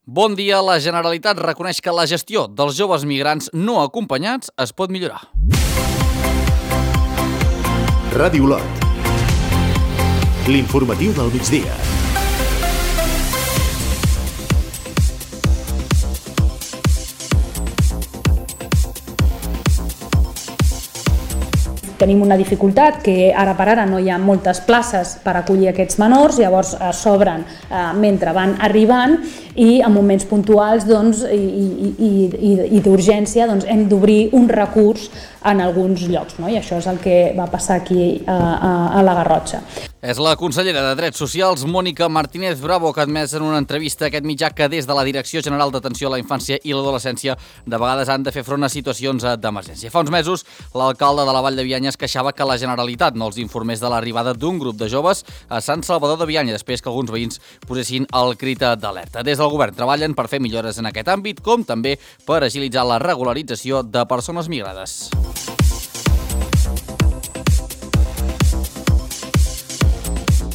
Bon dia. La Generalitat reconeix que la gestió dels joves migrants no acompanyats es pot millorar. Ràdio Olot. L'informatiu del migdia. Tenim una dificultat que ara per ara no hi ha moltes places per acollir aquests menors, llavors s'obren mentre van arribant i en moments puntuals i d'urgència hem d'obrir un recurs en alguns llocs, no? I això és el que va passar aquí a la Garrotxa. És la consellera de Drets Socials, Mònica Martínez Bravo, que ha admès en una entrevista a aquest mitjà que des de la Direcció General d'Atenció a la Infància i l'Adolescència de vegades han de fer front a situacions d'emergència. Fa uns mesos, l'alcalde de la Vall de Bianya es queixava que la Generalitat no els informés de l'arribada d'un grup de joves a Sant Salvador de Bianya, després que alguns veïns posessin el crit d'alerta. Des del govern treballen per fer millores en aquest àmbit, com també per agilitzar la regularització de persones migrades.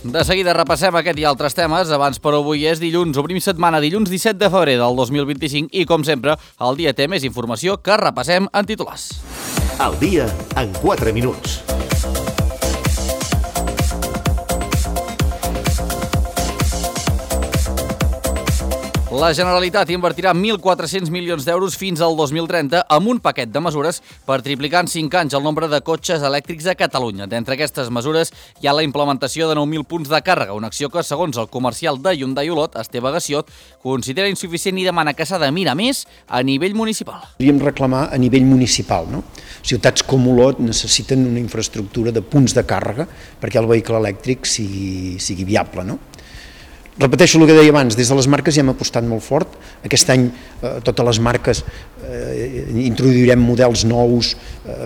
De seguida repassem aquest i altres temes. Abans, però, avui és dilluns, obrim setmana, dilluns 17 de febrer del 2025 i, com sempre, el dia té més informació que repassem en titulars. El dia en 4 minuts. La Generalitat invertirà 1.400 milions d'euros fins al 2030 amb un paquet de mesures per triplicar en 5 anys el nombre de cotxes elèctrics a Catalunya. D'entre aquestes mesures hi ha la implementació de 9.000 punts de càrrega, una acció que, segons el comercial de Hyundai Olot, Esteve Gassiot, considera insuficient i demana que s'ha de mirar més a nivell municipal. Podríem reclamar a nivell municipal, no? Ciutats com Olot necessiten una infraestructura de punts de càrrega perquè el vehicle elèctric sigui viable, no? Repeteixo el que deia abans, des de les marques ja hem apostat molt fort. Aquest any totes les marques introduirem models nous,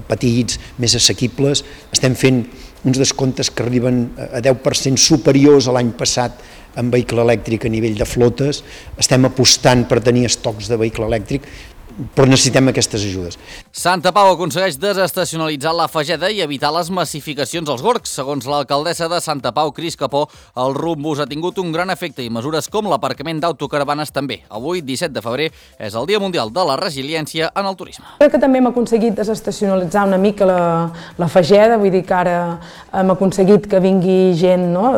petits, més assequibles. Estem fent uns descomptes que arriben a 10% superiors a l'any passat en vehicle elèctric a nivell de flotes. Estem apostant per tenir estocs de vehicle elèctric, però necessitem aquestes ajudes. Santa Pau aconsegueix desestacionalitzar la Fageda i evitar les massificacions als gorgs. Segons l'alcaldessa de Santa Pau, Cris Capó, el rumbus ha tingut un gran efecte i mesures com l'aparcament d'autocaravanes també. Avui, 17 de febrer, és el Dia Mundial de la Resiliència en el turisme. Crec que també hem aconseguit desestacionalitzar una mica la Fageda, vull dir que ara hem aconseguit que vingui gent, no?,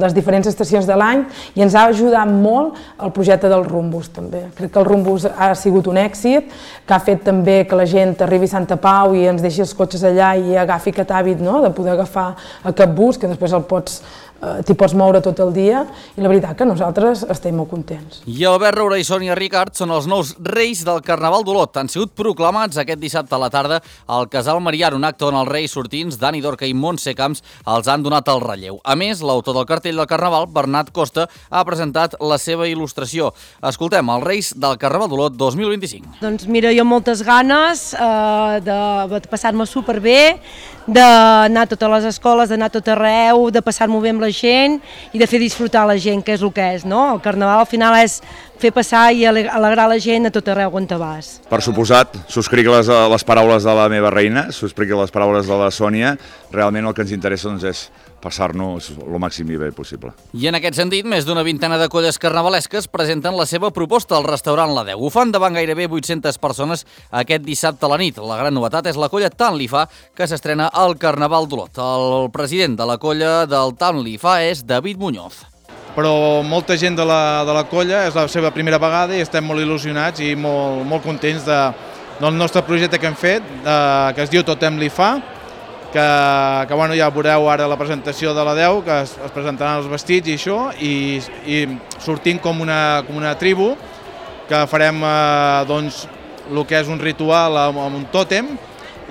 les diferents estacions de l'any, i ens ha ajudat molt el projecte del rumbus també. Crec que el rumbus ha sigut un èxit, que ha fet també que la gent arribi a Santa Pau i ens deixi els cotxes allà i agafi aquest hàbit, no?, de poder agafar aquest bus, que després t'hi pots moure tot el dia, i la veritat que nosaltres estem molt contents. I Albert Roura i Sònia Ricard són els nous reis del Carnaval d'Olot. Han sigut proclamats aquest dissabte a la tarda al Casal Marià, un acte on els reis sortints, Dani Dorca i Montse Camps, els han donat el relleu. A més, l'autor del cartell del Carnaval, Bernat Costa, ha presentat la seva il·lustració. Escoltem els reis del Carnaval d'Olot 2025. Doncs mira, jo moltes ganes de passar-me superbé, d'anar a totes les escoles, d'anar a tot arreu, de passar-m'ho bé amb la gent i de fer disfrutar la gent, que és el que és, no? El Carnaval al final és fer passar i alegrar la gent a tot arreu on te vas. Per suposat, subscric les paraules de la meva reina, subscric les paraules de la Sònia. Realment el que ens interessa és passar-nos el màxim i bé possible. I en aquest sentit, més d'una vintena de colles carnavalesques presenten la seva proposta al restaurant La Deu. Ho fan davant gairebé 800 persones aquest dissabte a la nit. La gran novetat és la colla Tant Li Fa, que s'estrena al Carnaval d'Olot. El president de la colla del Tant Li Fa és David Muñoz. Però molta gent de la colla és la seva primera vegada i estem molt il·lusionats i molt contents del nostre projecte que hem fet, que es diu Totem Li Fa, que bueno, ja veureu ara la presentació de la 10, que es presentaran els vestits i això, i sortim com una tribu, que farem doncs, el que és un ritual amb un tòtem,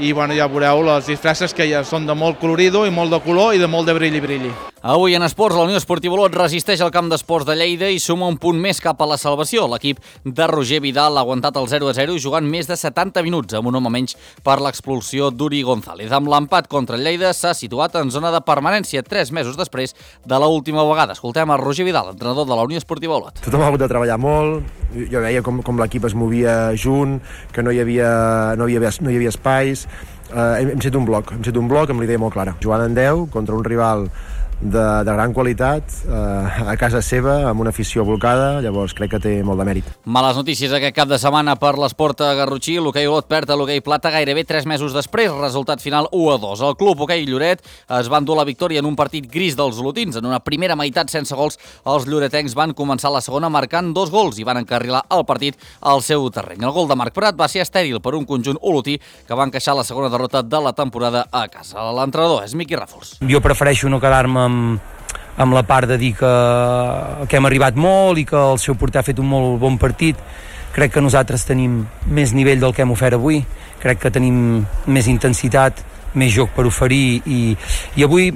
i bueno, ja veureu les disfresses que ja són de molt colorido i molt de color i de molt de brilli. Avui en esports, la Unió Esportiva Olot resisteix al camp d'esports de Lleida i suma un punt més cap a la salvació. L'equip de Roger Vidal ha aguantat el 0-0 jugant més de 70 minuts amb un home menys per l'expulsió d'Uri González. Amb l'empat contra el Lleida s'ha situat en zona de permanència 3 mesos després de l'última vegada. Escoltem a Roger Vidal, entrenador de la Unió Esportiva Olot. Tothom ha hagut de treballar molt, jo veia com l'equip es movia junt, que no hi havia espais. Hem set un bloc amb la idea molt clara. Jugant en 10 contra un rival de gran qualitat, a casa seva, amb una afició volcada, llavors crec que té molt de mèrit. Males notícies aquest cap de setmana per l'esport a Garrotxí. L'hoquei Olot perd a l'hoquei Plata gairebé 3 mesos després, resultat final 1-2. El club hoquei Lloret es va endur la victòria en un partit gris dels olotins. En una primera meitat sense gols, els lloretencs van començar la segona marcant 2 gols i van encarrilar el partit al seu terreny. El gol de Marc Prat va ser estèril per un conjunt olotí que va encaixar la segona derrota de la temporada a casa. L'entrenador és Miqui Ràfols. Jo prefereixo no quedar-me amb la part de dir que hem arribat molt i que el seu porter ha fet un molt bon partit. Crec que nosaltres tenim més nivell del que hem ofert avui, crec que tenim més intensitat, més joc per oferir i avui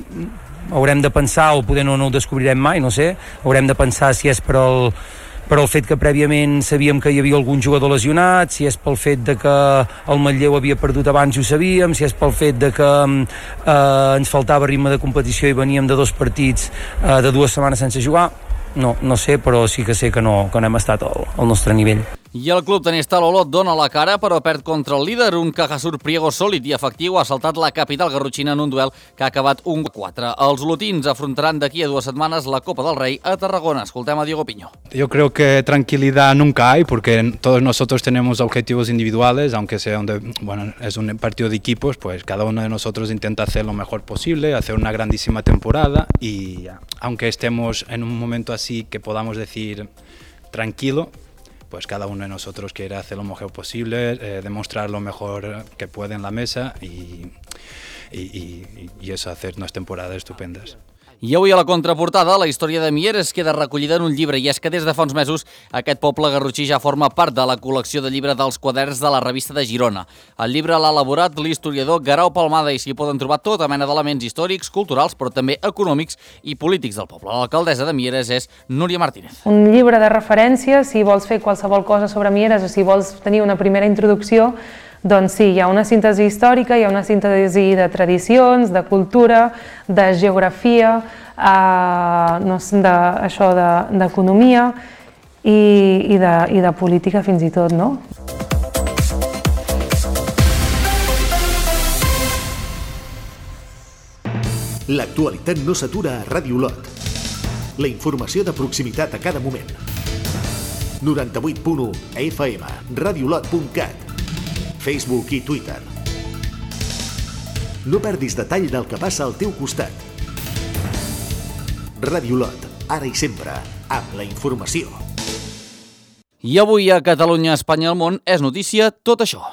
haurem de pensar, o poder no ho descobrirem mai, no sé, haurem de pensar si és per el fet que prèviament sabíem que hi havia algun jugador lesionat, si és pel fet de que el Manlleu havia perdut abans i ho sabíem, si és pel fet de que ens faltava ritme de competició i veníem de 2 partits de 2 setmanes sense jugar. No sé, però sí que sé que no hem estat al nostre nivell. I el club tenista l'Olot dona la cara, però perd contra el líder. Un Cajasur Priego sòlid i efectiu ha saltat la capital garrotxina en un duel que ha acabat 1-4. Els olotins afrontaran d'aquí a 2 setmanes la Copa del Rei a Tarragona. Escoltem a Diego Piño. Yo creo que tranquilidad nunca hay, porque todos nosotros tenemos objetivos individuales, aunque sea es un partido de equipos, pues cada uno de nosotros intenta hacer lo mejor posible, hacer una grandísima temporada y aunque estemos en un momento así que podamos decir tranquilo, pues cada uno de nosotros quiere hacer lo mejor posible, demostrar lo mejor que puede en la mesa y eso, hacer unas temporadas estupendas. I avui a la contraportada, la història de Mieres queda recollida en un llibre, i és que des de fa uns mesos aquest poble garrotxí ja forma part de la col·lecció de llibre dels quaderns de la revista de Girona. El llibre l'ha elaborat l'historiador Guerau Palmada i s'hi poden trobar tota mena d'elements històrics, culturals, però també econòmics i polítics del poble. L'alcaldessa de Mieres és Núria Martínez. Un llibre de referència, si vols fer qualsevol cosa sobre Mieres o si vols tenir una primera introducció, doncs sí, hi ha una síntesi històrica, hi ha una síntesi de tradicions, de cultura, de geografia, d'economia i de política fins i tot, no? L'actualitat no s'atura a Ràdio Olot. La informació de proximitat a cada moment. 98.1 FM, radiolot.cat, Facebook i Twitter. No perdis detall del que passa al teu costat. Ràdio Olot, ara i sempre, amb la informació. I avui a Catalunya, Espanya i el món és notícia tot això.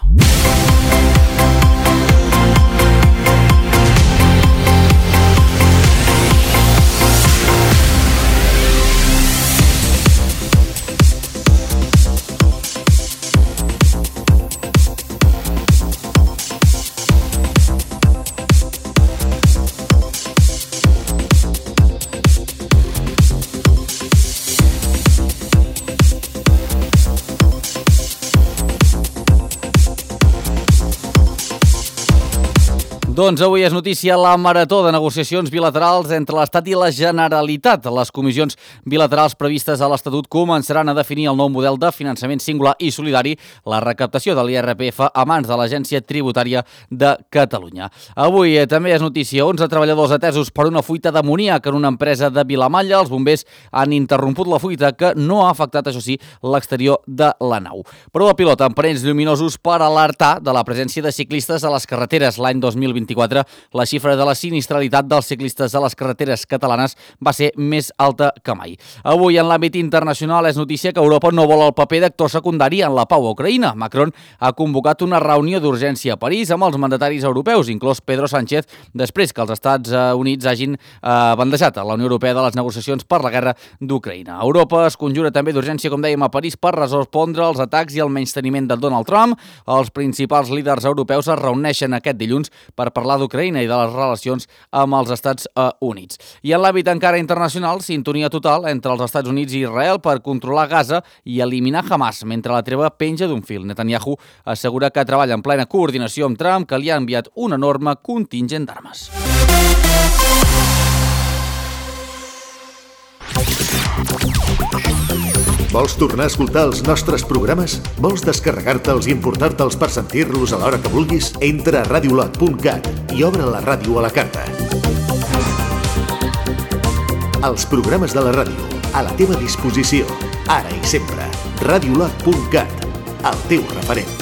Doncs avui és notícia la marató de negociacions bilaterals entre l'Estat i la Generalitat. Les comissions bilaterals previstes a l'Estatut començaran a definir el nou model de finançament singular i solidari, la recaptació de l'IRPF a mans de l'Agència Tributària de Catalunya. Avui també és notícia 11 treballadors atesos per una fuita d'amoníac en una empresa de Vilamalla. Els bombers han interromput la fuita, que no ha afectat, això sí, l'exterior de la nau. Prova pilot amb panells lluminosos per alertar de la presència de ciclistes a les carreteres. L'any 2024, la xifra de la sinistralitat dels ciclistes a les carreteres catalanes va ser més alta que mai. Avui, en l'àmbit internacional, és notícia que Europa no vol el paper d'actor secundari en la pau a Ucraïna. Macron ha convocat una reunió d'urgència a París amb els mandataris europeus, inclòs Pedro Sánchez, després que els Estats Units hagin bandejat a la Unió Europea de les negociacions per la guerra d'Ucraïna. Europa es conjura també d'urgència, com dèiem, a París per respondre als atacs i el menysteniment de Donald Trump. Els principals líders europeus es reuneixen aquest dilluns per parlar d'Ucraïna i de les relacions amb els Estats Units. I en l'àmbit encara internacional, sintonia total entre els Estats Units i Israel per controlar Gaza i eliminar Hamas, mentre la treva penja d'un fil. Netanyahu assegura que treballa en plena coordinació amb Trump, que li ha enviat un enorme contingent d'armes. Vols tornar a escoltar els nostres programes? Vols descarregar-te'ls i importar-te'ls per sentir-los a l'hora que vulguis? Entra a radiolot.cat i obre la ràdio a la carta. Els programes de la ràdio, a la teva disposició, ara i sempre. Radiolab.cat, el teu referent.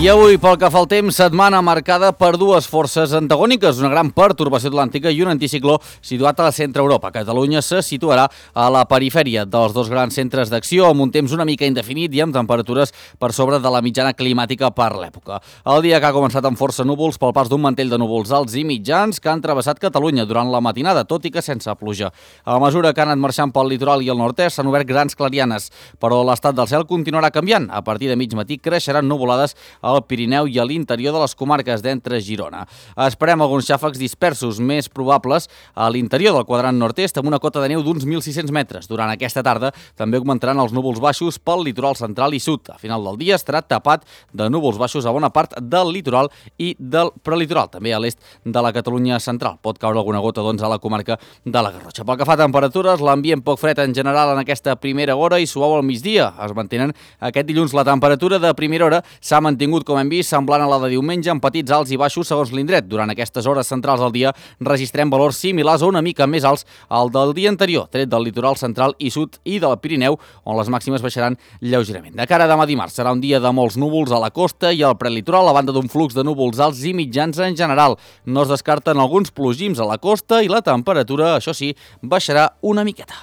I avui, pel que fa al temps, setmana marcada per dues forces antagòniques, una gran pertorbació atlàntica i un anticicló situat a la centre-Europa. Catalunya se situarà a la perifèria dels dos grans centres d'acció, amb un temps una mica indefinit i amb temperatures per sobre de la mitjana climàtica per l'època. El dia que ha començat amb força núvols pel pas d'un mantell de núvols alts i mitjans que han travessat Catalunya durant la matinada, tot i que sense pluja. A mesura que han anat marxant pel litoral i el nord-est s'han obert grans clarianes, però l'estat del cel continuarà canviant. A partir de mig matí creixeran nuvolades al Pirineu i a l'interior de les comarques d'entre Girona. Esperem alguns xàfecs dispersos més probables a l'interior del quadrant nord-est amb una cota de neu d'uns 1.600 metres. Durant aquesta tarda també augmentaran els núvols baixos pel litoral central i sud. A final del dia estarà tapat de núvols baixos a bona part del litoral i del prelitoral, també a l'est de la Catalunya central. Pot caure alguna gota doncs, a la comarca de la Garrotxa. Pel que fa a temperatures, l'ambient poc fred en general en aquesta primera hora i suau al migdia. Es mantenen aquest dilluns. La temperatura de primera hora s'ha mantingut, com hem vist, semblant a la de diumenge, amb petits alts i baixos segons l'indret. Durant aquestes hores centrals del dia registrem valors similars o una mica més alts al del dia anterior, tret del litoral central i sud i del Pirineu, on les màximes baixaran lleugerament. De cara a demà dimarts serà un dia de molts núvols a la costa i al prelitoral, a banda d'un flux de núvols alts i mitjans en general. No es descarten alguns plogims a la costa i la temperatura, això sí, baixarà una miqueta.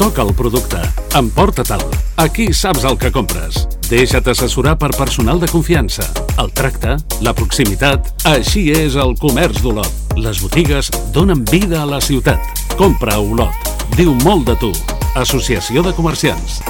Toca el producte. Emporta-te'l. Aquí saps el que compres. Deixa't assessorar per personal de confiança. El tracte, la proximitat... Així és el comerç d'Olot. Les botigues donen vida a la ciutat. Compra a Olot. Diu molt de tu. Associació de Comerciants.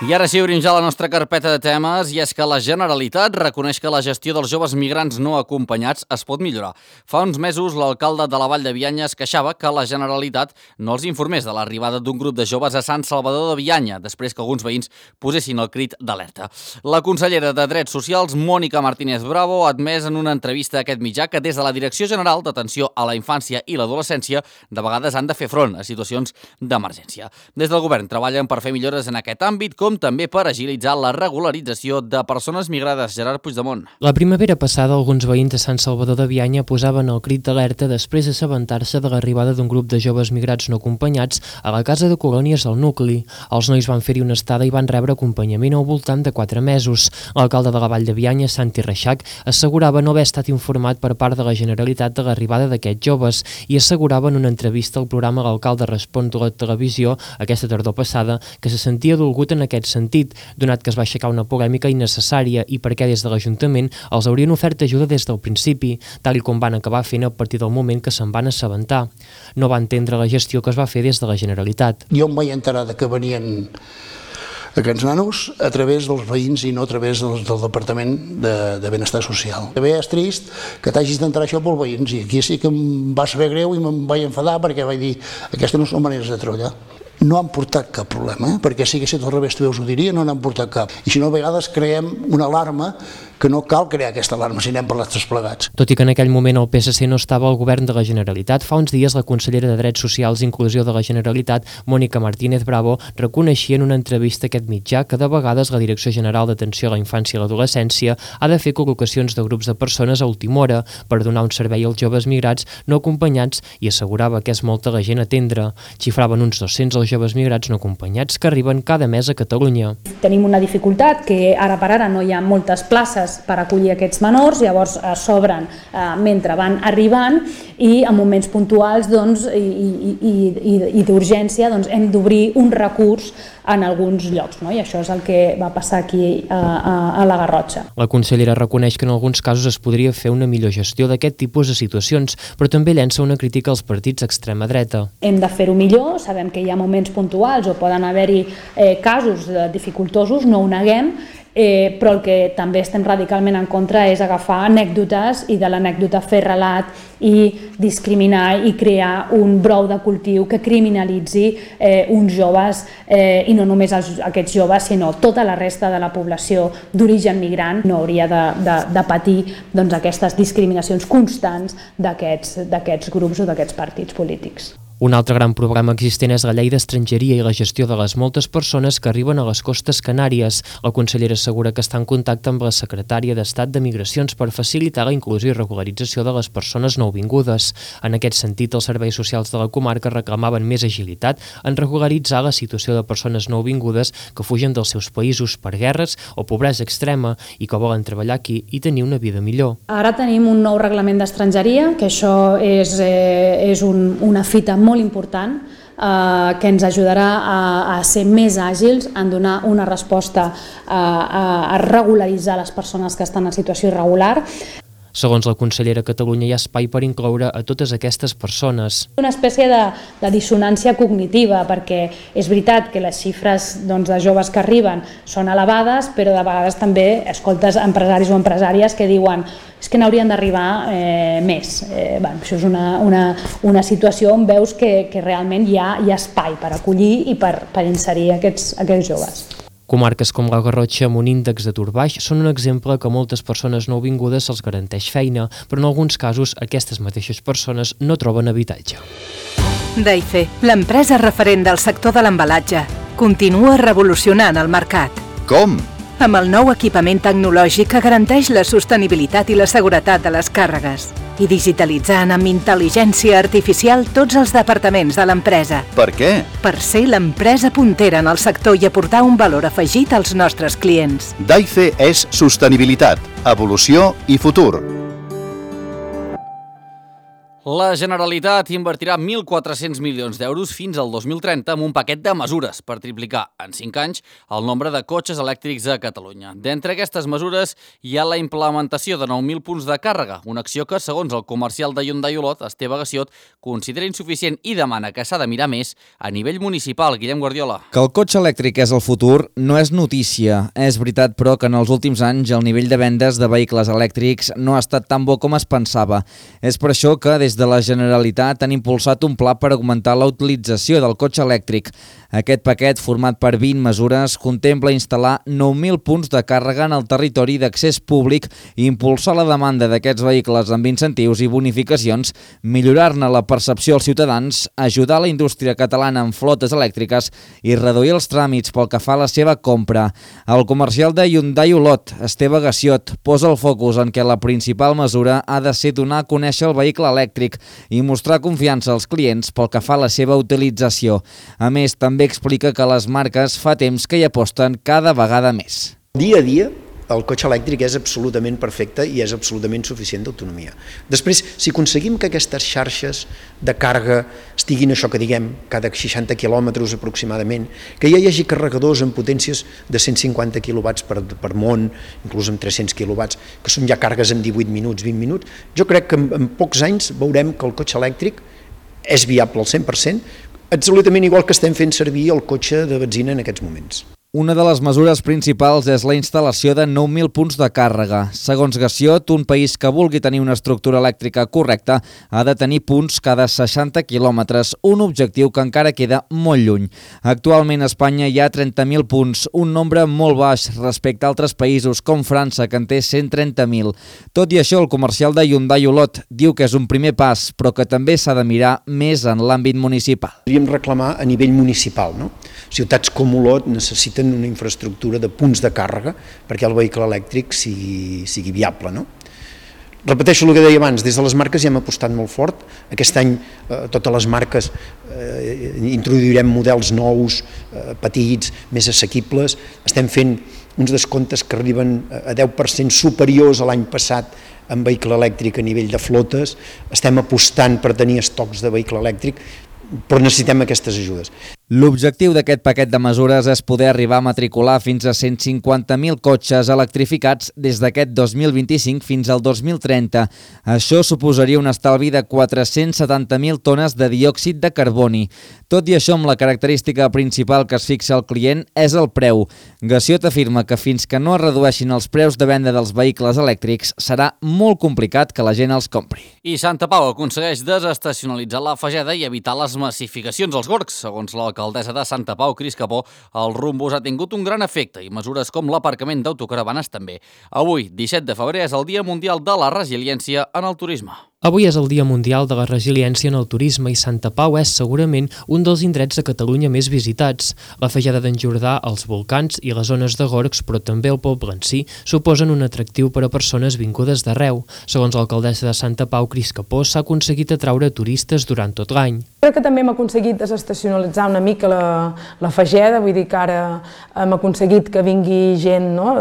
I ara sí, obrim ja la nostra carpeta de temes, i és que la Generalitat reconeix que la gestió dels joves migrants no acompanyats es pot millorar. Fa uns mesos, l'alcalde de la Vall de Bianya es queixava que la Generalitat no els informés de l'arribada d'un grup de joves a Sant Salvador de Bianya, després que alguns veïns posessin el crit d'alerta. La consellera de Drets Socials, Mònica Martínez Bravo, ha admès en una entrevista a aquest mitjà que des de la Direcció General d'Atenció a la Infància i l'Adolescència de vegades han de fer front a situacions d'emergència. Des del govern treballen per fer millores en aquest àmbit, com també per agilitzar la regularització de persones migrades. Gerard Puigdemont. La primavera passada, alguns veïns de Sant Salvador de Bianya posaven el crit d'alerta després d'assabentar-se de l'arribada d'un grup de joves migrats no acompanyats a la casa de colònies del nucli. Els nois van fer-hi una estada i van rebre acompanyament al voltant de 4 mesos. L'alcalde de la Vall de Bianya, Santi Reixac, assegurava no haver estat informat per part de la Generalitat de l'arribada d'aquests joves i assegurava en una entrevista al programa L'Alcalde Respon de la televisió aquesta tardor passada que se sentia dolgut en aquest sentit, donat que es va aixecar una polèmica innecessària i perquè des de l'Ajuntament els haurien ofert ajuda des del principi, tal com van acabar fent a partir del moment que se'n van assabentar. No va entendre la gestió que es va fer des de la Generalitat. Jo em vaig enterar que venien aquests nanos a través dels veïns i no a través del Departament de Benestar Social. També és trist que t'hagis d'entrar això pels veïns i aquí sí que em va saber greu i me'n vaig enfadar perquè vaig dir aquestes no són maneres de treballar. No han portat cap problema, perquè si haguessin al revés també us ho diria, no n'han portat cap. I si no, a vegades creem una alarma que no cal crear aquesta alarma si anem per les tres plegats. Tot i que en aquell moment el PSC no estava al govern de la Generalitat, fa uns dies la consellera de Drets Socials i Inclusió de la Generalitat, Mònica Martínez Bravo, reconeixia en una entrevista a aquest mitjà que de vegades la Direcció General d'Atenció a la Infància i l'Adolescència ha de fer col·locacions de grups de persones a última hora per donar un servei als joves migrats no acompanyats i assegurava que és molta la gent a atendre. Xifraven uns 200 els joves migrats no acompanyats que arriben cada mes a Catalunya. Tenim una dificultat que ara per ara no hi ha moltes places per acollir aquests menors, llavors s'obren mentre van arribant i en moments puntuals i d'urgència hem d'obrir un recurs en alguns llocs, no? I això és el que va passar aquí a la Garrotxa. La consellera reconeix que en alguns casos es podria fer una millor gestió d'aquest tipus de situacions, però també llença una crítica als partits d'extrema dreta. Hem de fer-ho millor, sabem que hi ha moments puntuals o poden haver-hi casos dificultosos, no ho neguem, però el que també estem radicalment en contra és agafar anècdotes i de l'anècdota fer relat i discriminar i crear un brou de cultiu que criminalitzi uns joves, i no només aquests joves, sinó tota la resta de la població d'origen migrant no hauria de patir aquestes discriminacions constants d'aquests grups o d'aquests partits polítics. Un altre gran problema existent és la llei d'estrangeria i la gestió de les moltes persones que arriben a les costes Canàries. La consellera assegura que està en contacte amb la secretària d'Estat de Migracions per facilitar la inclusió i regularització de les persones nouvingudes. En aquest sentit, els serveis socials de la comarca reclamaven més agilitat en regularitzar la situació de persones nouvingudes que fugen dels seus països per guerres o pobresa extrema i que volen treballar aquí i tenir una vida millor. Ara tenim un nou reglament d'estrangeria, que això és una fita molt important, que ens ajudarà a ser més àgils, en donar una resposta a regularitzar les persones que estan en situació irregular. Segons la consellera, a Catalunya hi ha espai per incloure a totes aquestes persones. Una espècie de dissonància cognitiva, perquè és veritat que les xifres de joves que arriben són elevades, però de vegades també escoltes empresaris o empresàries que diuen és que n'haurien d'arribar més. Això és una situació on veus que realment hi ha espai per acollir i per inserir aquests joves. Comarques com la Garrotxa, amb un índex d'atur baix, són un exemple que a moltes persones nouvingudes se'ls garanteix feina, però en alguns casos aquestes mateixes persones no troben habitatge. Daife, l'empresa referent del sector de l'embalatge, continua revolucionant el mercat. Com? Amb el nou equipament tecnològic que garanteix la sostenibilitat i la seguretat de les càrregues i digitalitzant amb intel·ligència artificial tots els departaments de l'empresa. Per què? Per ser l'empresa puntera en el sector i aportar un valor afegit als nostres clients. Daife és sostenibilitat, evolució i futur. La Generalitat invertirà 1.400 milions d'euros fins al 2030 amb un paquet de mesures per triplicar en 5 anys el nombre de cotxes elèctrics a Catalunya. D'entre aquestes mesures hi ha la implementació de 9.000 punts de càrrega, una acció que, segons el comercial de Hyundai Olot, Esteve Gassiot, considera insuficient i demana que s'ha de mirar més a nivell municipal. Guillem Guardiola. Que el cotxe elèctric és el futur no és notícia. És veritat, però, que en els últims anys el nivell de vendes de vehicles elèctrics no ha estat tan bo com es pensava. És per això que des de la Generalitat han impulsat un pla per augmentar la utilització del cotxe elèctric. Aquest paquet, format per 20 mesures, contempla instal·lar 9.000 punts de càrrega en el territori d'accés públic i impulsar la demanda d'aquests vehicles amb incentius i bonificacions, millorar-ne la percepció als ciutadans, ajudar la indústria catalana amb flotes elèctriques i reduir els tràmits pel que fa a la seva compra. El comercial de Hyundai Olot, Esteve Gassiot, posa el focus en què la principal mesura ha de ser donar a conèixer el vehicle elèctric i mostrar confiança als clients pel que fa a la seva utilització. A més, també explica que les marques fa temps que hi aposten cada vegada més. Dia a dia, el cotxe elèctric és absolutament perfecte i és absolutament suficient d'autonomia. Després, si aconseguim que aquestes xarxes de càrrega estiguin això que diguem, cada 60 quilòmetres aproximadament, que ja hi hagi carregadors amb potències de 150 quilowatts per món, inclús amb 300 quilowatts, que són ja càrregues en 18 minuts, 20 minuts, jo crec que en pocs anys veurem que el cotxe elèctric és viable al 100%, absolutament igual que estem fent servir el cotxe de benzina en aquests moments. Una de les mesures principals és la instal·lació de 9.000 punts de càrrega. Segons Gassiot, un país que vulgui tenir una estructura elèctrica correcta ha de tenir punts cada 60 quilòmetres, un objectiu que encara queda molt lluny. Actualment a Espanya hi ha 30.000 punts, un nombre molt baix respecte a altres països com França, que en té 130.000. Tot i això, el comercial de Hyundai Olot diu que és un primer pas, però que també s'ha de mirar més en l'àmbit municipal. Podríem reclamar a nivell municipal, no? Ciutats com Olot necessiten una infraestructura de punts de càrrega perquè el vehicle elèctric sigui viable, no? Repeteixo el que deia abans, des de les marques ja hem apostat molt fort. Aquest any totes les marques introduirem models nous, petits, més assequibles. Estem fent uns descomptes que arriben a 10% superiors a l'any passat en vehicle elèctric a nivell de flotes. Estem apostant per tenir estocs de vehicle elèctric, però necessitem aquestes ajudes. L'objectiu d'aquest paquet de mesures és poder arribar a matricular fins a 150.000 cotxes electrificats des d'aquest 2025 fins al 2030. Això suposaria un estalvi de 470.000 tones de diòxid de carboni. Tot i això, amb la característica principal que es fixa el client és el preu. Gassiot afirma que fins que no es redueixin els preus de venda dels vehicles elèctrics serà molt complicat que la gent els compri. I Santa Pau aconsegueix desestacionalitzar la Fageda i evitar les massificacions als gorgs. Segons l'alcaldessa de Santa Pau, Cris Capó, el Rumbus ha tingut un gran efecte i mesures com l'aparcament d'autocaravanes també. Avui, 17 de febrer, és el Dia Mundial de la Resiliència en el Turisme. Avui és el Dia Mundial de la Resiliència en el Turisme i Santa Pau és segurament un dels indrets de Catalunya més visitats. La Fageda d'en Jordà, els volcans i les zones de gorgs, però també el poble en si, suposen un atractiu per a persones vingudes d'arreu. Segons l'alcaldessa de Santa Pau, Cris Capó, s'ha aconseguit atraure turistes durant tot l'any. Crec que també hem aconseguit desestacionalitzar una mica la Fageda, vull dir que ara hem aconseguit que vingui gent, no?,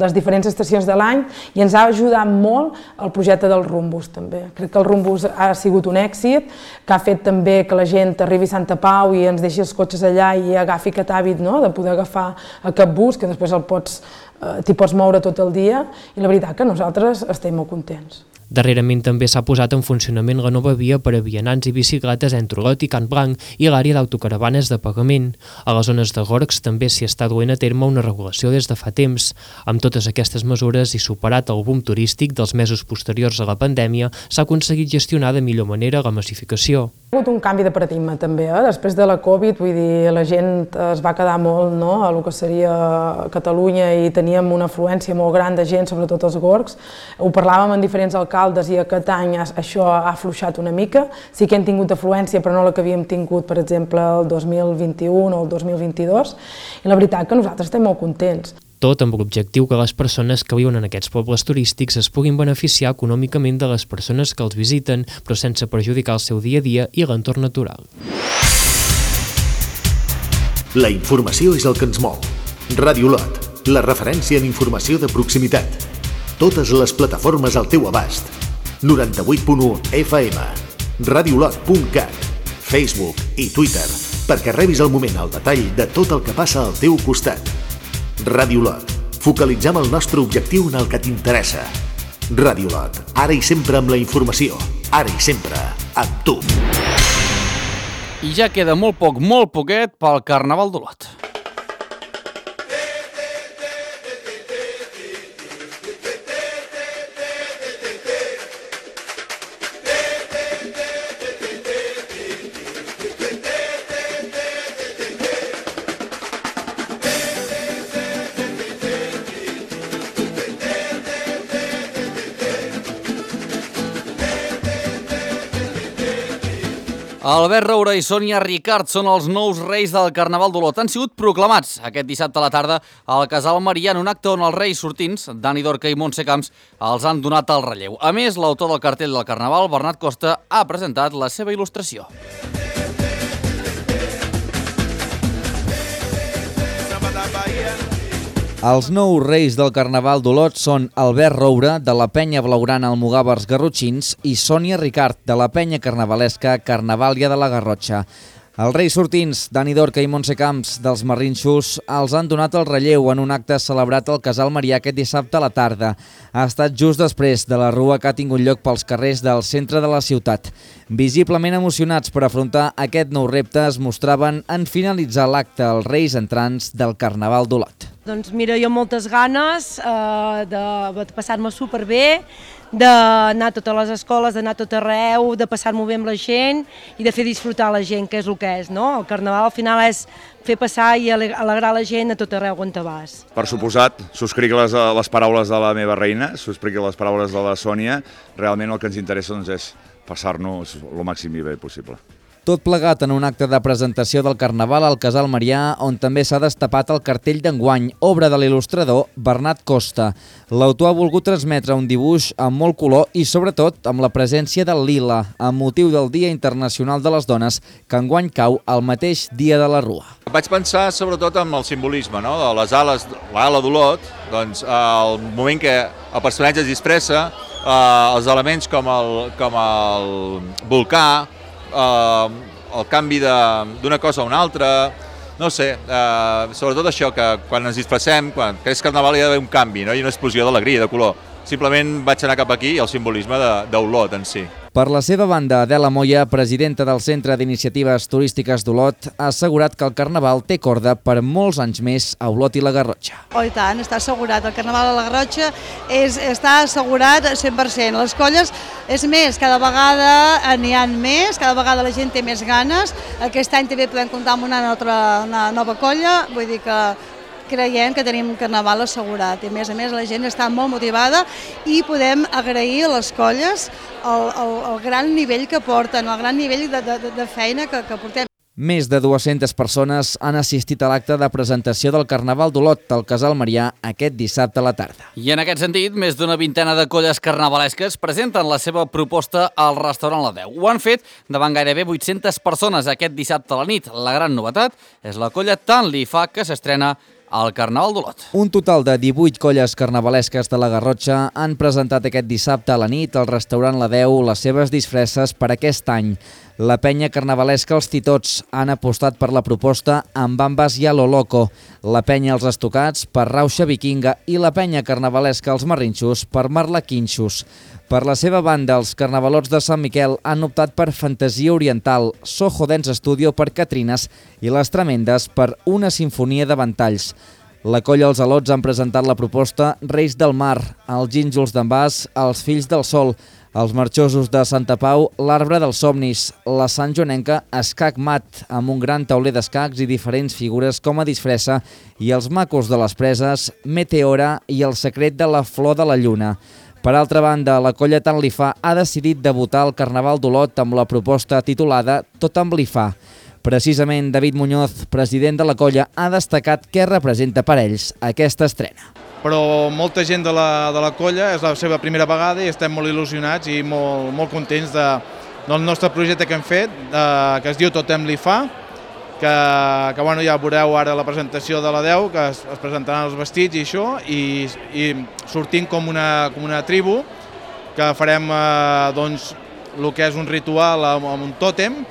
les diferents estacions de l'any, i ens ha ajudat molt el projecte del Rumbus també. Crec que el Rumbus ha sigut un èxit, que ha fet també que la gent arribi a Santa Pau i ens deixi els cotxes allà i agafi aquest hàbit, no?, de poder agafar aquest bus, que després t'hi pots moure tot el dia, i la veritat que nosaltres estem molt contents. Darrerament també s'ha posat en funcionament la nova via per a vianants i bicicletes entre Olot i Can Blanc i l'àrea d'autocaravanes de pagament. A les zones de gorgs també s'hi està duent a terme una regulació des de fa temps. Amb totes aquestes mesures i superat el boom turístic dels mesos posteriors a la pandèmia, s'ha aconseguit gestionar de millor manera la massificació. Ha hagut un canvi de paradigma també, després de la Covid, vull dir, la gent es va quedar molt, no?, a lo que seria Catalunya i teníem una afluència molt gran de gent, sobretot als gorgs. Ho parlàvem amb diferents alcaldes i aquest any això ha afluixat una mica. Sí que hem tingut afluència, però no la que havíem tingut, per exemple, el 2021 o el 2022, i la veritat que nosaltres estem molt contents. Tot amb l'objectiu que les persones que viuen en aquests pobles turístics es puguin beneficiar econòmicament de les persones que els visiten, però sense perjudicar el seu dia a dia i l'entorn natural. La informació és el que ens mou. Ràdio Olot, la referència en informació de proximitat. Totes les plataformes al teu abast. 98.1 FM, radiolot.cat, Facebook i Twitter, perquè rebis al moment el detall de tot el que passa al teu costat. Ràdio Olot, focalitzem el nostre objectiu en el que t'interessa. Ràdio Olot, ara i sempre amb la informació, ara i sempre amb tu. I ja queda molt poquet pel Carnaval d'Olot. Albert Roura i Sònia Ricart són els nous reis del Carnaval d'Olot. Han sigut proclamats aquest dissabte a la tarda al Casal Marià en un acte on els reis sortints, Dani Dorca i Montse Camps, els han donat el relleu. A més, l'autor del cartell del Carnaval, Bernat Costa, ha presentat la seva il·lustració. Els nous reis del Carnaval d'Olot són Albert Roura, de la penya blaugrana Almogàvers Garrotxins, i Sònia Ricart, de la penya carnavalesca Carnavàlia de la Garrotxa. Els reis sortints, Dani Dorca i Montse Camps, dels Marrinxos, els han donat el relleu en un acte celebrat al Casal Marià aquest dissabte a la tarda. Ha estat just després de la rua que ha tingut lloc pels carrers del centre de la ciutat. Visiblement emocionats per afrontar aquest nou repte, es mostraven en finalitzar l'acte els reis entrants del Carnaval d'Olot. Doncs mira, jo moltes ganes de passar-me superbé, d'anar a totes les escoles, d'anar a tot arreu, de passar-m'ho bé amb la gent i de fer disfrutar la gent, que és el que és, no? El Carnaval al final és fer passar i alegrar la gent a tot arreu on te vas. Per suposat, subscric les paraules de la meva reina, subscric les paraules de la Sònia. Realment el que ens interessa és passar-nos el màxim i bé possible. Tot plegat en un acte de presentació del Carnaval al Casal Marià, on també s'ha destapat el cartell d'enguany, obra de l'il·lustrador Bernat Costa. L'autor ha volgut transmetre un dibuix amb molt color i, sobretot, amb la presència del lila, amb motiu del Dia Internacional de les Dones, que enguany cau el mateix dia de la Rua. Vaig pensar sobretot en el simbolisme, no?, de les ales, l'ala d'Olot, doncs el moment que el personatge es disfressa, els elements com el volcà, el canvi d'una cosa a una altra, no sé, sobretot això, que quan ens disfressem, quan és carnaval hi ha d'haver un canvi, no? I una explosió d'alegria, de color. Simplement vaig anar cap aquí i el simbolisme d'Olot en si. Per la seva banda, Adela Moya, presidenta del Centre d'Iniciatives Turístiques d'Olot, ha assegurat que el Carnaval té corda per molts anys més a Olot i la Garrotxa. Oh, i tant, està assegurat. El Carnaval a la Garrotxa està assegurat 100%. Les colles, és més, cada vegada n'hi ha més, cada vegada la gent té més ganes. Aquest any també podem comptar amb una nova colla, vull dir que creiem que tenim Carnaval assegurat i a més la gent està molt motivada i podem agrair a les colles el gran nivell que porten, el gran nivell de feina que portem. Més de 200 persones han assistit a l'acte de presentació del Carnaval d'Olot al Casal Marià aquest dissabte a la tarda. I en aquest sentit, més d'una vintena de colles carnavalesques presenten la seva proposta al restaurant La Deu. Ho han fet davant gairebé 800 persones aquest dissabte a la nit. La gran novetat és la colla Tant Li Fa, que s'estrena al Carnaval d'Olot. Un total de 18 colles carnavalesques de la Garrotxa han presentat aquest dissabte a la nit al restaurant La Deu les seves disfresses per aquest any. La penya carnavalesca Els Titots han apostat per la proposta amb Bambas i a lo Loco, la penya Els Estocats per Rauxa Vikinga i la penya carnavalesca Els Marrinxos per Marlaquinxos. Per la seva banda, els carnavalots de Sant Miquel han optat per Fantasia Oriental, Soho Dance Studio per Catrines i les Tremendes per Una Sinfonia de Ventalls. La colla Els Alots han presentat la proposta Reis del Mar, els Gínjols d'en Bas, els Fills del Sol, els Marxosos de Santa Pau, l'Arbre dels Somnis, la Sant Joanenca, Escac Mat, amb un gran tauler d'escacs i diferents figures com a disfressa, i els Macos de les Preses, Meteora i el Secret de la Flor de la Lluna. Per altra banda, la colla Tant Li Fa ha decidit debutar al Carnaval d'Olot amb la proposta titulada Tot amb Li Fa. Precisament, David Muñoz, president de la colla, ha destacat què representa per ells aquesta estrena. Però molta gent de la colla és la seva primera vegada i estem molt il·lusionats i molt contents del nostre projecte que hem fet, que es diu Totem Li Fa, que bueno, ja veureu ara la presentació de la 10, que es presentaran els vestits i això, i sortim com una tribu, que farem doncs, el que és un ritual amb un tòtem,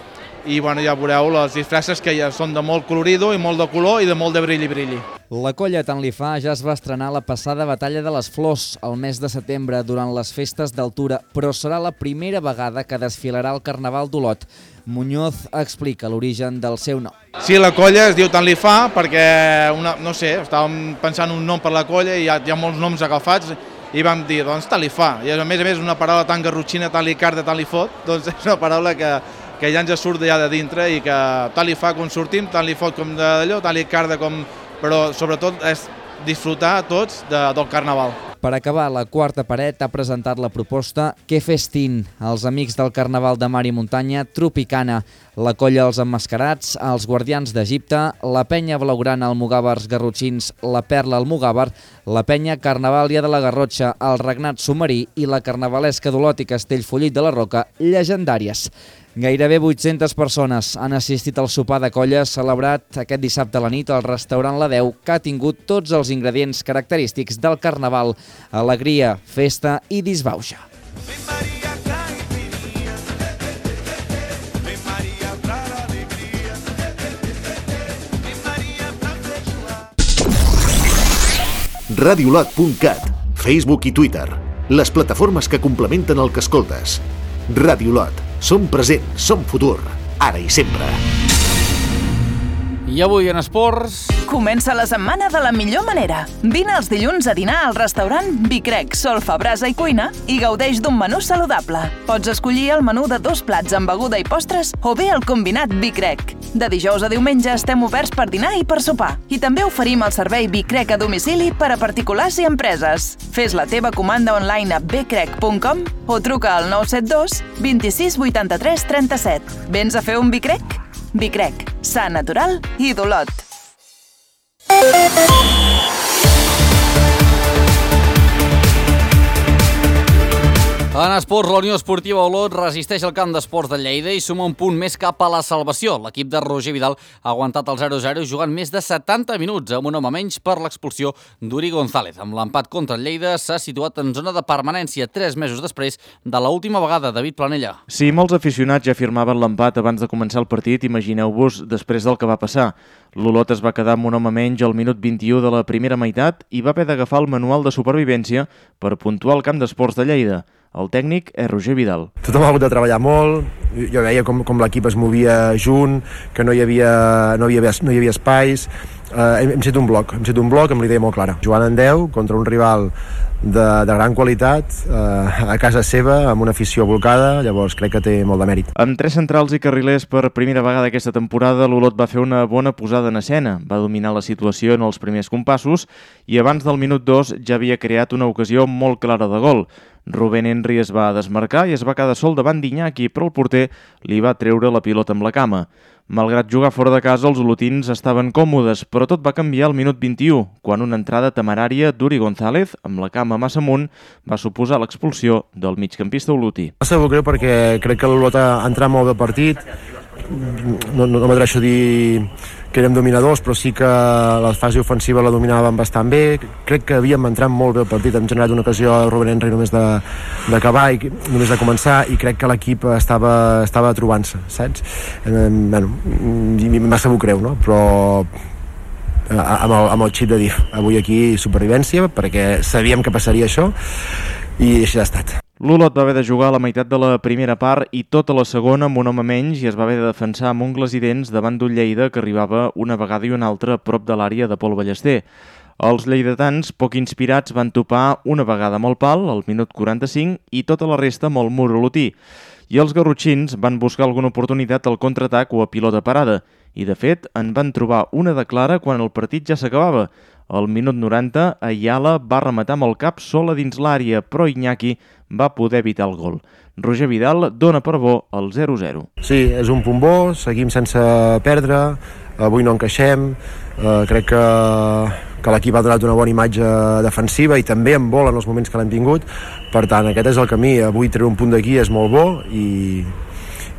i bueno, ja veureu les disfresses que ja són de molt colorido i molt de color i de molt de brilli. La colla Tant Li Fa ja es va estrenar la passada Batalla de les Flors el mes de setembre durant les festes d'altura, però serà la primera vegada que desfilarà al Carnaval d'Olot. Muñoz explica l'origen del seu nom. Sí, la colla es diu Tant Li Fa perquè, no sé, estàvem pensant un nom per la colla i hi ha molts noms agafats i vam dir, doncs Tant Li Fa. I a més una paraula tan garrotxina, tant li carda, tant li fot, doncs és una paraula que ja ens surt ja de dintre i que tant li fa quan sortim, tant li fot com d'allò, tant li carda com... però sobretot és disfrutar tots del Carnaval. Per acabar, la quarta paret ha presentat la proposta Que Festin, els amics del Carnaval de Mar i Muntanya Tropicana, la colla Els Emmascarats, els Guardians d'Egipte, la penya blaugrana Almogàvers Garrotxins, la Perla Almogàver, la penya Carnavàlia de la Garrotxa, el Regnat Submarí i la carnavalesca d'Olot i Castellfollit de la Roca, llegendàries. Gairebé 800 persones han assistit al sopar de colla celebrat aquest dissabte a la nit al restaurant La 10, que ha tingut tots els ingredients característics del Carnaval: alegria, festa i disbauxa. Radiolot.cat, Facebook i Twitter, les plataformes que complementen el que escoltes. Radiolot, som present, som futur, ara i sempre. I avui en esports... Comença la setmana de la millor manera. Vine els dilluns a dinar al restaurant Bicrec, solfa, brasa i cuina i gaudeix d'un menú saludable. Pots escollir el menú de 2 plats amb beguda i postres o bé el combinat Bicrec. De dijous a diumenge estem oberts per dinar i per sopar. I també oferim el servei Bicrec a domicili per a particulars i empreses. Fes la teva comanda online a bcrec.com o truca al 972 26 83 37. Vens a fer un Bicrec? Bicrec, sa, natural i d'Olot. En esports, la Unió Esportiva Olot resisteix al camp d'esports de Lleida i suma un punt més cap a la salvació. L'equip de Roger Vidal ha aguantat el 0-0 jugant més de 70 minuts amb un home menys per l'expulsió d'Uri González. Amb l'empat contra el Lleida s'ha situat en zona de permanència 3 mesos després de l'última vegada. David Planella. Si molts aficionats ja firmaven l'empat abans de començar el partit, imagineu-vos després del que va passar. L'Olot es va quedar amb un home menys al minut 21 de la primera meitat i va haver d'agafar el manual de supervivència per puntuar el camp d'esports de Lleida. El tècnic és Roger Vidal. Tothom ha hagut de treballar molt, jo veia com l'equip es movia junt, que no hi havia espais. Hem set un bloc amb l'idea molt clara. Jugant en 10 contra un rival de gran qualitat, a casa seva, amb una afició volcada, llavors crec que té molt de mèrit. Amb 3 centrals i carrilers per primera vegada aquesta temporada, l'Olot va fer una bona posada en escena, va dominar la situació en els primers compassos i abans del minut 2 ja havia creat una ocasió molt clara de gol. Rubén Henry es va desmarcar i es va quedar sol davant d'Iñaki, però el porter li va treure la pilota amb la cama. Malgrat jugar fora de casa, els olotins estaven còmodes, però tot va canviar al minut 21, quan una entrada temerària d'Uri González, amb la cama massa amunt, va suposar l'expulsió del migcampista olotí. Em sap greu perquè crec que l'Olot ha entrat molt bé el partit. No m'atreixo a dir que érem dominadors, però sí que la fase ofensiva la dominàvem bastant bé. Crec que havíem entrat molt bé el partit, hem generat una ocasió a Rubén Henry només d'acabar i només de començar, i crec que l'equip estava trobant-se, saps? M'ha sabut greu, no? Però amb el xip de dir avui aquí supervivència, perquè sabíem que passaria això, i així ha estat. L'Olot va haver de jugar a la meitat de la primera part i tota la segona amb un home menys i es va haver de defensar amb ungles i dents davant d'un Lleida que arribava una vegada i una altra a prop de l'àrea de Pol Ballester. Els lleidatans, poc inspirats, van topar una vegada amb el pal, al minut 45, i tota la resta amb el mur olotí. I els garrotxins van buscar alguna oportunitat al contraatac o a pilota parada, i de fet en van trobar una de clara quan el partit ja s'acabava. Al minut 90, Ayala va rematar amb el cap sola dins l'àrea, però Iñaki va poder evitar el gol. Roger Vidal dona per bo el 0-0. Sí, és un punt bo, seguim sense perdre, avui no encaixem, crec que l'equip ha donat una bona imatge defensiva i també en vol en els moments que l'hem tingut, per tant aquest és el camí, avui treure un punt d'aquí és molt bo i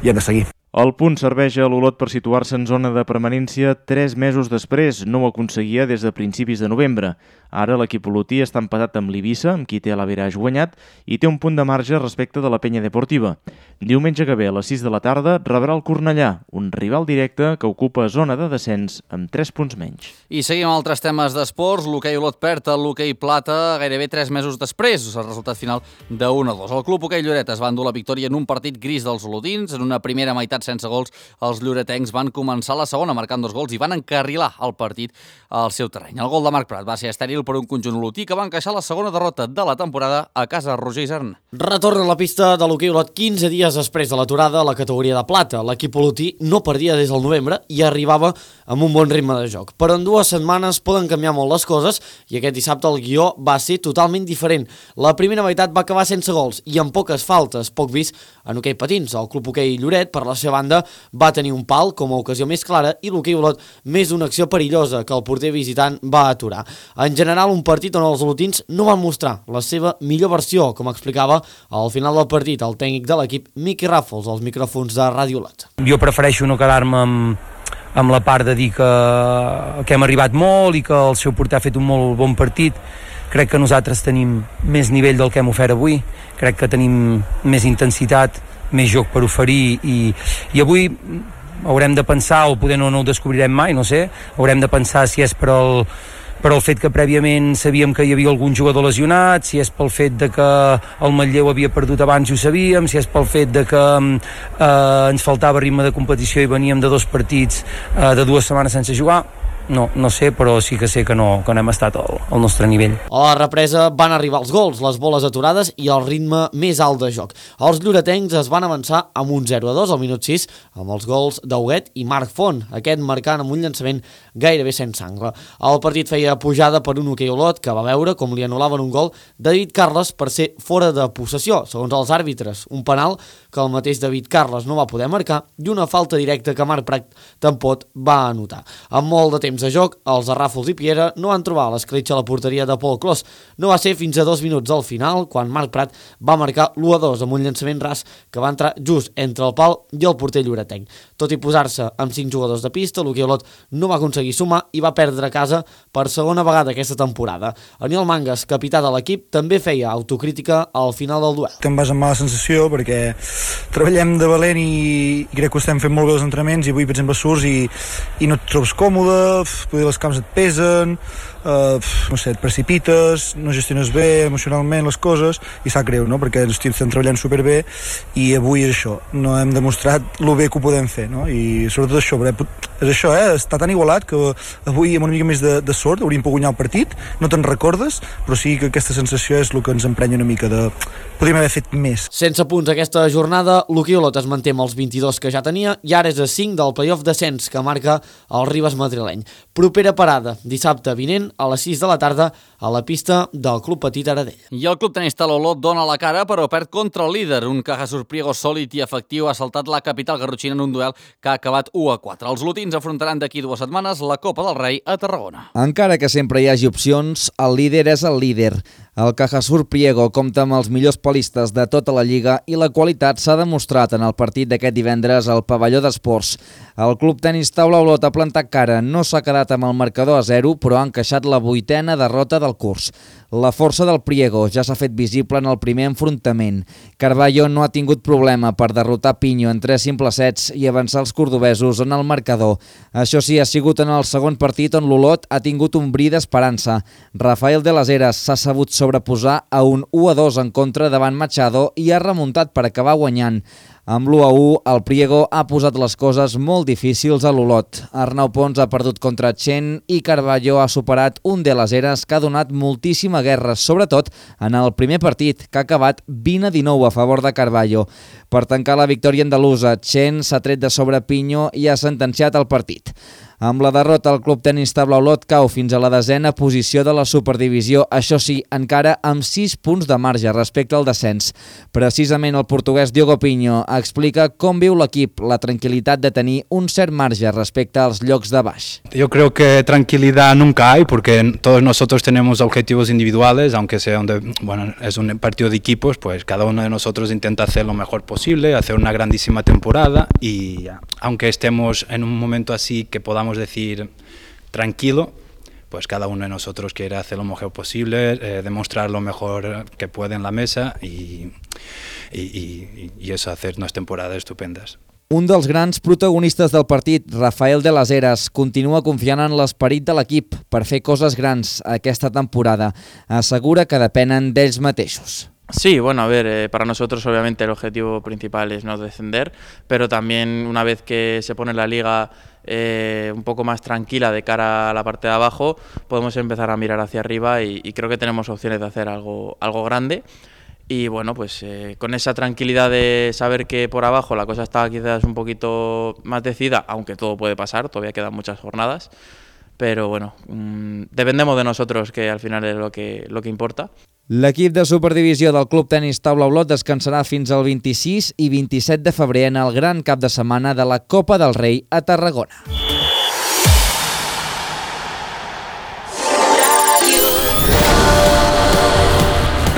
hem de seguir. El punt serveix a l'Olot per situar-se en zona de permanència 3 mesos després. No ho aconseguia des de principis de novembre. Ara l'equip olotí està empatat amb l'Eivissa, amb qui té l'Average guanyat, i té un punt de marge respecte de la Penya Deportiva. Diumenge que ve a les 6 de la tarda rebrà el Cornellà, un rival directe que ocupa zona de descens amb 3 punts menys. I seguim altres temes d'esports. L'hoquei Olot perd el l'hoquei plata gairebé 3 mesos després, el resultat final de 1-2. El club hoquei Lloret es va endur la victòria en un partit gris dels olotins. En una primera meitat sense gols, els lloretencs van començar la segona marcant 2 gols i van encarrilar el partit al seu terreny. El gol de Marc Prat va ser estèril per un conjunt olotí que va encaixar la segona derrota de la temporada a casa de Roger Isern. Retorna a la pista de l'hoquei Olot 15 dies després de l'aturada a la categoria de plata. L'equip olotí no perdia des del novembre i arribava amb un bon ritme de joc. Però en 2 setmanes poden canviar molt les coses i aquest dissabte el guió va ser totalment diferent. La primera meitat va acabar sense gols i amb poques faltes, poc vist en hoquei patins. El club hoquei Lloret, per la seva banda, va tenir un pal com a ocasió més clara i l'hoquei Olot més una acció perillosa que el porter visitant va aturar. En general, un partit on els olotins no van mostrar la seva millor versió, com explicava al final del partit el tècnic de l'equip, Miqui Ràfols, als micròfons de Ràdio Olot. Jo prefereixo no quedar-me amb la part de dir que hem arribat molt i que el seu porter ha fet un molt bon partit. Crec que nosaltres tenim més nivell del que hem ofert avui, crec que tenim més intensitat, més joc per oferir i avui haurem de pensar, o poder no ho descobrirem mai, no sé, haurem de pensar si és per el fet que prèviament sabíem que hi havia algun jugador lesionat, si és pel fet de que el Manlleu havia perdut abans i ho sabíem, si és pel fet de que ens faltava ritme de competició i veníem de 2 partits de 2 setmanes sense jugar. No sé, però sí que sé que no hem estat al nostre nivell. A la represa van arribar els gols, les boles aturades i el ritme més alt de joc. Els lloretencs es van avançar amb un 0-2 al minut 6 amb els gols d'Huguet i Marc Font, aquest marcant amb un llançament gairebé sense angle. El partit feia pujada per un hoquei Olot que va veure com li anul·laven un gol de David Carles per ser fora de possessió, segons els àrbitres. Un penal que el mateix David Carles no va poder marcar i una falta directa que Marc Prat tampoc va anotar. Amb molt de temps temps de joc, els de Ràfols i Piera no van trobar l'escletxa a la porteria de Pol Clos. No va ser fins a 2 minuts al final, quan Marc Prat va marcar l'1-2 amb un llançament ras que va entrar just entre el pal i el porter lloretenc. Tot i posar-se amb 5 jugadors de pista, l'Hoquei Olot no va aconseguir sumar i va perdre a casa per segona vegada aquesta temporada. Aniol Mangas, capità de l'equip, també feia autocrítica al final del duel. Te'n vas amb mala sensació perquè treballem de valent i crec que ho estem fent molt bé els entrenaments i avui, per exemple, surts i no et trobes còmode, potser les cames et pesen, no sé, et precipites, no gestiones bé emocionalment les coses i sap greu, no? Perquè els tips estan treballant superbé i avui és això, no hem demostrat lo bé que ho podem fer, no? I sobretot això, és això, està tan igualat que avui amb una mica més de sort hauríem pogut guanyar el partit, no te'n recordes, però sí que aquesta sensació és el que ens emprenya una mica de podríem haver fet més. Sense punts aquesta jornada, l'Hoquei Olot es manté amb els 22 que ja tenia i ara és a 5 del playoff descens que marca el Ribes madrileny. Propera parada, dissabte vinent a les 6 de la tarda a la pista del Club Petit Aradell. I el club tenista Olot dona la cara però perd contra el líder. Un Caja Surpriego sòlid i efectiu ha saltat la capital garrotxina en un duel que ha acabat 1-4. Els lotins afrontaran d'aquí 2 setmanes la Copa del Rei a Tarragona. Encara que sempre hi hagi opcions, el líder és el líder. El Caja Surpriego compta amb els millors palistes de tota la Lliga i la qualitat s'ha demostrat en el partit d'aquest divendres al pavelló d'esports. El club tenis taula Olot ha plantat cara, no s'ha quedat amb el marcador a 0, però ha encaixat la 8ª derrota del curs. La força del Priego ja s'ha fet visible en el primer enfrontament. Carballo no ha tingut problema per derrotar Pinho en 3 simples sets i avançar els cordobesos en el marcador. Això sí, ha sigut en el segon partit on l'Olot ha tingut un bri d'esperança. Rafael de las Heras s'ha sabut sobreposar a un 1-2 en contra davant Machado i ha remuntat per acabar guanyant. Amb l'1-1, el Priego ha posat les coses molt difícils a l'Olot. Arnau Pons ha perdut contra Chen i Carballo ha superat un de las Heras que ha donat moltíssima guerra, sobretot en el primer partit, que ha acabat 20-19 a favor de Carballo. Per tancar la victòria andalusa, Chen s'ha tret de sobre Pinho i ha sentenciat el partit. Amb la derrota, el club tenis taula Olot cau fins a la 10ª posició de la Superdivisió, això sí, encara amb 6 punts de marge respecte al descens. Precisament el portuguès Diogo Pinho explica com viu l'equip la tranquil·litat de tenir un cert marge respecte als llocs de baix. Yo creo que tranquilidad nunca hay porque todos nosotros tenemos objetivos individuales, aunque sea es un partido de equipos, pues cada uno de nosotros intenta hacer lo mejor posible, hacer una grandísima temporada y aunque estemos en un momento así que podamos decir tranquilo, pues cada uno de nosotros quiere hacer lo mejor posible, demostrar lo mejor que puede en la mesa y eso, hacer unas temporadas estupendas. Un dels grans protagonistes del partit, Rafael de las Heras, continua confiant en l'esperit de l'equip per fer coses grans aquesta temporada. Assegura que depenen d'ells mateixos. Sí, bueno, a ver, para nosotros obviamente el objetivo principal es no descender, pero también una vez que se pone la liga un poco más tranquila de cara a la parte de abajo, podemos empezar a mirar hacia arriba y creo que tenemos opciones de hacer algo grande. Y bueno, pues con esa tranquilidad de saber que por abajo la cosa está quizás un poquito más decidida, aunque todo puede pasar, todavía quedan muchas jornadas, pero bueno, dependemos de nosotros, que al final es lo que importa. L'equip de Superdivisió del Club Tenis Taula Olot descansarà fins al 26 i 27 de febrer en el gran cap de setmana de la Copa del Rei a Tarragona.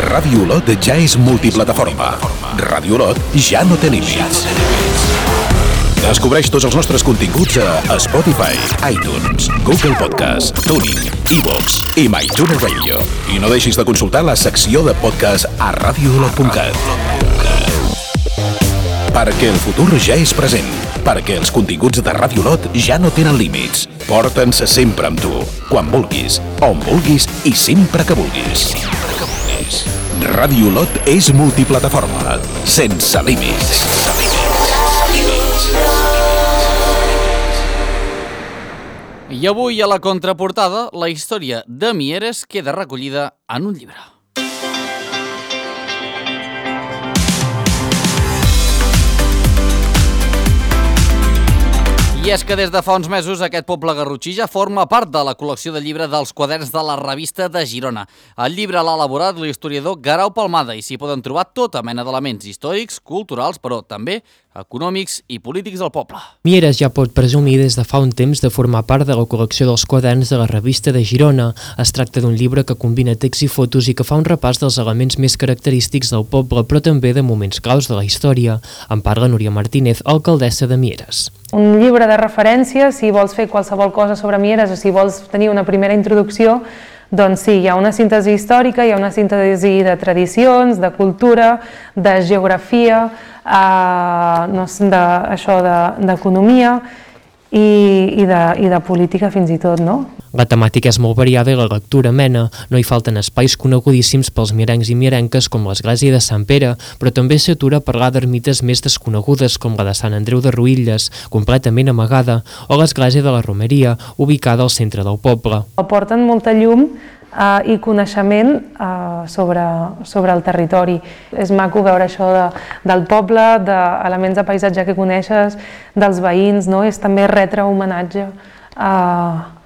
Ràdio Olot ja és multiplataforma. Ràdio Olot ja no té límits. Descobreix tots els nostres continguts a Spotify, iTunes, Google Podcast, TuneIn, iVoox i MyTuner Radio. I no deixis de consultar la secció de podcast a radioolot.cat. Perquè el futur ja és present. Perquè els continguts de Ràdio Olot ja no tenen límits. Porta'ns sempre amb tu, quan vulguis, on vulguis i sempre que vulguis. Ràdio Olot és multiplataforma, sense límits. I avui a la contraportada, la història de Mieres queda recollida en un llibre. I és que des de fa uns mesos aquest poble garrotxí ja forma part de la col·lecció de llibre dels quaderns de la revista de Girona. El llibre l'ha elaborat l'historiador Guerau Palmada i s'hi poden trobar tota mena d'elements històrics, culturals, però també econòmics i polítics del poble. Mieres ja pot presumir des de fa un temps de formar part de la col·lecció dels quaderns de la revista de Girona. Es tracta d'un llibre que combina text i fotos i que fa un repàs dels elements més característics del poble, però també de moments claus de la història. En parla Núria Martínez, alcaldessa de Mieres. Un llibre de referència, si vols fer qualsevol cosa sobre Mieres o si vols tenir una primera introducció, doncs sí, hi ha una síntesi històrica, hi ha una síntesi de tradicions, de cultura, de geografia, d'economia i de política fins i tot, no? La temàtica és molt variada i la lectura amena. No hi falten espais conegudíssims pels mierencs i mierenques com l'església de Sant Pere, però també s'atura a parlar d'ermites més desconegudes com la de Sant Andreu de Ruïlles, completament amagada, o l'església de la Romeria, ubicada al centre del poble. Aporten molta llum i coneixement sobre el territori. És maco veure això del poble, d'elements de paisatge que coneixes, dels veïns, no? És també retre homenatge a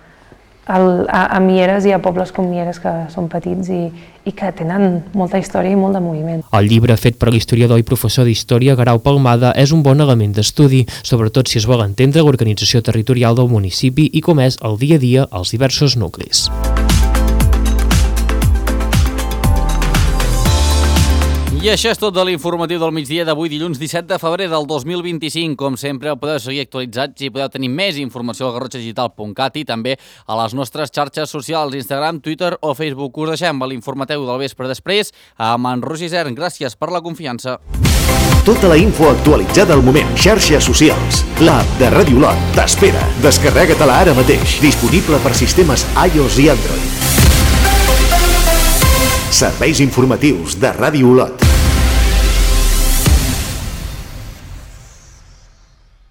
Mieres i a pobles com Mieres que són petits i que tenen molta història i molt de moviment. El llibre fet per l'historiador i professor d'història Guerau Palmada és un bon element d'estudi, sobretot si es vol entendre l'organització territorial del municipi i com és el dia a dia als diversos nuclis. I això és tot de l'informatiu del migdia d'avui, dilluns 17 de febrer del 2025. Com sempre, podeu seguir actualitzats i podeu tenir més informació al garrotxadigital.cat i també a les nostres xarxes socials, Instagram, Twitter o Facebook. Us deixem a l'informatiu del vespre després amb en Roger Isern. Gràcies per la confiança. Tota la info actualitzada al moment. Xarxes socials. L'app de Ràdio Lot t'espera. Descarrega-te-la ara mateix. Disponible per sistemes iOS i Android. Serveis informatius de Ràdio Lot.